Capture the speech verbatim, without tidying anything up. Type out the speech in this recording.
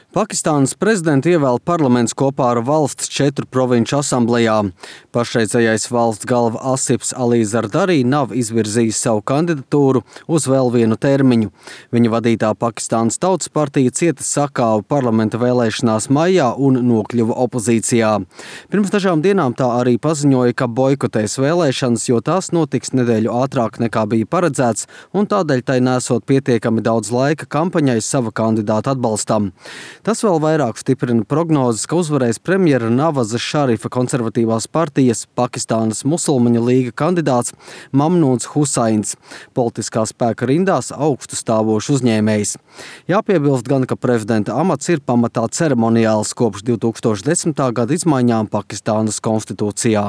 Pakistānas prezidentu ievēl parlaments kopā ar valsts četru provinču asamblejā. Pašreizējais valsts galva Asips Ali Zardari nav izvirzījis savu kandidatūru uz vēl vienu termiņu. Viņa vadītā Pakistānas Tautas partija cieta sakāvu parlamenta vēlēšanās maijā un nokļuva opozīcijā. Pirms dažām dienām tā arī paziņoja, ka boikotēs vēlēšanas, jo tās notiks nedēļu ātrāk nekā bija paredzēts, un tādēļ tai nesot pietiekami daudz laika kampaņai sava kandidāta atbalstam. Tas vēl vairāk stiprina prognozes, ka uzvarēs premjera Navaza Šarifa konservatīvās partijas Pakistānas musulmaņu līga kandidāts Mamnūns Husains, politiskā spēka rindās augstu stāvošs uzņēmējs. Jāpiebilst gan, ka prezidenta amats ir pamatā ceremoniāls kopš divtūkstoš desmitā gada izmaiņām Pakistānas konstitūcijā.